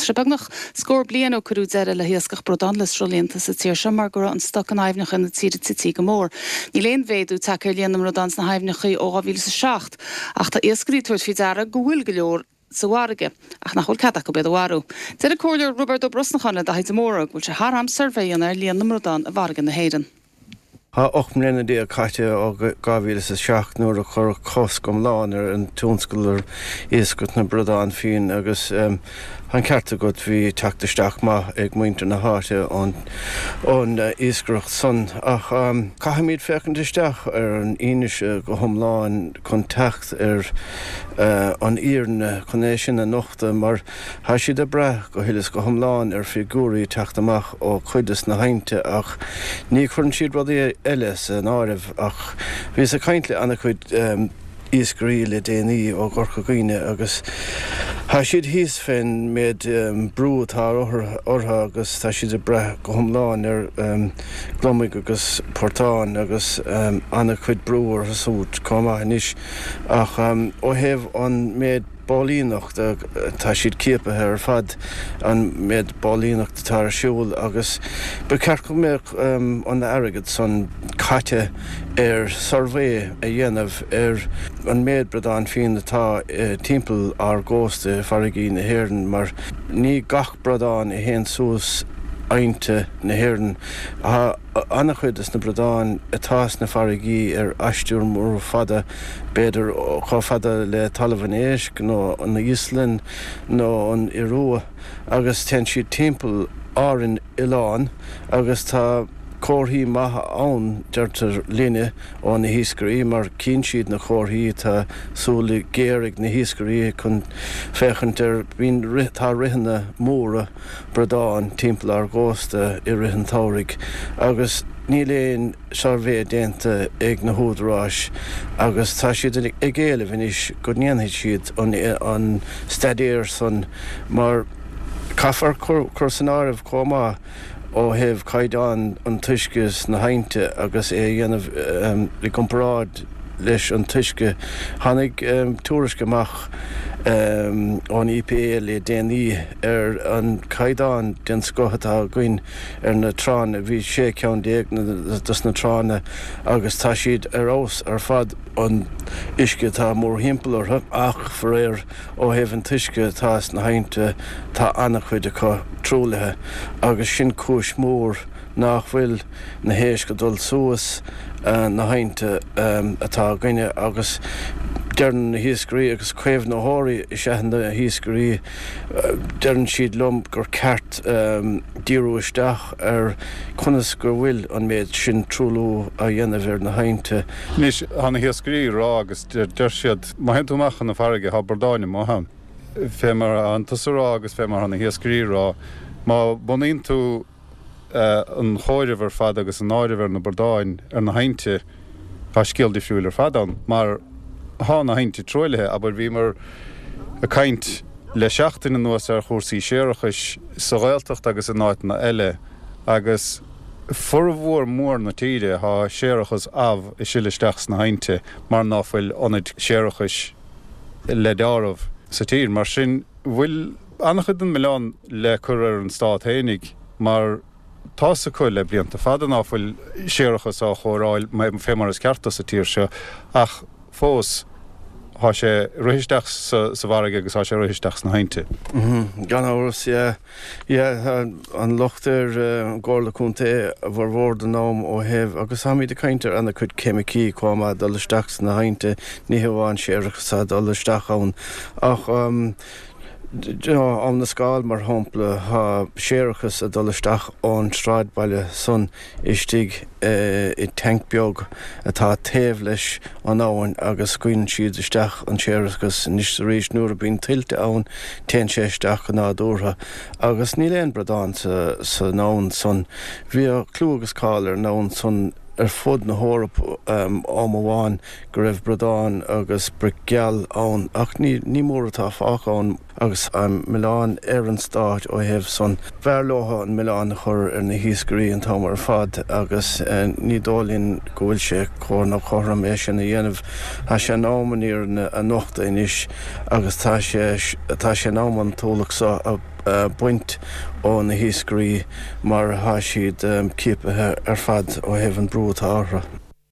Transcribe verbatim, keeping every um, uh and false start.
Tá sé beagnach scór bliain ó cuireadh deireadh le hiascach bradán le sruthlíonta sa tír seo mar go raibh an stoc in aibhneacha na tíre tite go mór. Níl aon mhéadú tagtha ar líon na mbradán sna haibhneacha ó dhá mhíle is a seacht, ach tá iascairí ag tabhairt faoi deara go bhfuil go leor sa bhfarraige, ach nach bhfuil cead acu iad a mharú. Deir an Comhairleoir Roibeard Ó Brosnacháin le Daithí de Mórdha go bhfuil sé thar am suirbhé a dhéanamh ar líon na mbradán i bhfarraige na hÉireann. Tá ocht mbliana déag caite ó dhá mhíle is a seacht nuair a cuireadh cosc iomlán ar an tionscal ar iascaireacht na bradán fiáin agus tá an ceart agat, bhí teacht isteach maith ag muintir na háite ón ón iascaireacht san. Ach caithfimid féachaint isteach ar an fhianaise go hiomlán chun teacht ar an fhírinne, chun é sin a nochtadh mar tá siad ag brath go huile is go hiomlán ar figiúirí ag teacht amach ó chuid des na haibhnte ach ní chuireann siad rudaí eile san áireamh. Ach bhíos ag caint le an-chuid iascairí le déanaí ó Chorca Dhuibhne agus tá siad thíos fén méid brú atá orthu agus tá siad ag brath go hiomlán ar gliomaigh agus portáin agus an-chuid brú orthu siúd chomh maith anois. Ach ó thaobh an méid póilíneachta, tá siad ciapaithe ar fad, an méid póilíneachta atá ar siúl agus ba cheart go mbeadh an airgead san caite ar suirbhé a dhéanamh ar an méid bradán fiáin atá timpeall ár gcósta i bhfarraigí na hÉireann mar ní gach bradán a théann suas aibhnte na hÉireann. Tá an-chuid des na bradáin atá sna farraigí ar aistear mór fada, b'fhéidir chomh fada le Talamh an Éisc nó an Íoslainn nó an Iorua, agus téann siad timpeall Árainn oileán agus tá comharthaí maithe ann, deirtear linne ó na hiascairí, mar cíonn siad na comharthaí, tá súile géar ag na hiascairí chun féachaint ar, bíonn, tá ritheanna móra bradán timpeall ár gcósta i rith an tsamhraidh agus níl aon suirbhé déanta ag na húdaráis agus tá siad ag éileamh anois go ndéanfaidh siad an staidéar san mar caithfear cur san áireamh chomh maith ó thaobh caighdeán an t-uisce sna haibhnte agus é a dhéanamh i gcomparáid leis an t-uisce. Tháinig tuairisc amach ón EPA le déanaí ar an caighdeán den scoth atá againn ar na tránna. Bhí sé ceann déag dos na tránna agus tá siad ar fheabhas ar fad, an uisce atá mórthimpeall orthu ach faraor ó thaobh an t-uisce atá sna haibhnte tá an-chuid acu truaillithe agus sin cúis mhór nach bhfuil na héisc ag dul suas na haibhnte atá againne agus deireann na hiascairí agus caomhnaitheoirí is ea na hiascairí, deireann siad liom gur ceart díriú isteach ar conas go bhfuil an méid sin truailliú á dhéanamh ar na haibhnte. Anois, tá na hiascairí ag rá agus deir siad, má théann tú amach chun na farraige, tá bradáin amuigh ann. Fé mar atánn tusa ag rá agus fé mar atá na hiascairí ag rá, má bhunaíonn tú an chomhaireamh ar fad agus an áireamh ar na bradáin ar na haibhnte, tá scéal difriúil ar fad ann mar tá na haibhnte truaillithe. Abair, bhíomar ag caint le seachtain anuas ar chúrsaí séarachais sa Ghaeltacht agus in áiteanna eile agus formhór mór na tíre tá séarachas amh ag sileadh isteach sna haibhnte mar ná fuil ionaid séarachais le deáramh sa tír. Mar sin, bhfuil an-chuid den milleán le cur ar an stát fhéinig mar tá's acu le blianta fada ná fuil séarachas á chóireáil fé mar is ceart do sa tír seo ach fós tá sé ag rith isteach sa bhfarraige agus tá sé ag rith isteach sna haibhnte. Gan amhras, yeah. Yeah, tá an locht ar an gComhairle Contae a bhformhór den am ó thaobh, agus táimid ag caint ar ana-chuid ceimicí chomh maith, dul isteach sna haibhnte, ní hamháin séarachas atá ag dul isteach ann ach, Abhainn na Scáil, mar shampla, tá séarachas ag dul isteach ón sráidbhaile san istigh i dtanc beag atá taobh leis an abhainn agus scaoileann siad isteach an séarachas anois is arís. Nuair a bíonn tuilte ann téann sé isteach go nádúrtha agus níl aon bradán san abhainn san. Bhíodh clú agus cáil ar an abhainn san ar fud na hEorpa am amháin go raibh bradáin agus broic gheal ann ach ní mór atá fágtha ann agus an milleán ar an stát ó thaobh san. B'fhearr leo an milleán a chur ar na hiascairí an t-am ar fad agus ní dóigh linn go bhfuil sé cóir nó cothrom é sin a dhéanamh. Tá sé in am an fhírinne a nochtadh anois agus tá sé tá sé in am an t-ualach seo a baint ó na hiascairí mar tá siad ciaptha ar fad ó thaobh an brú atá orthu.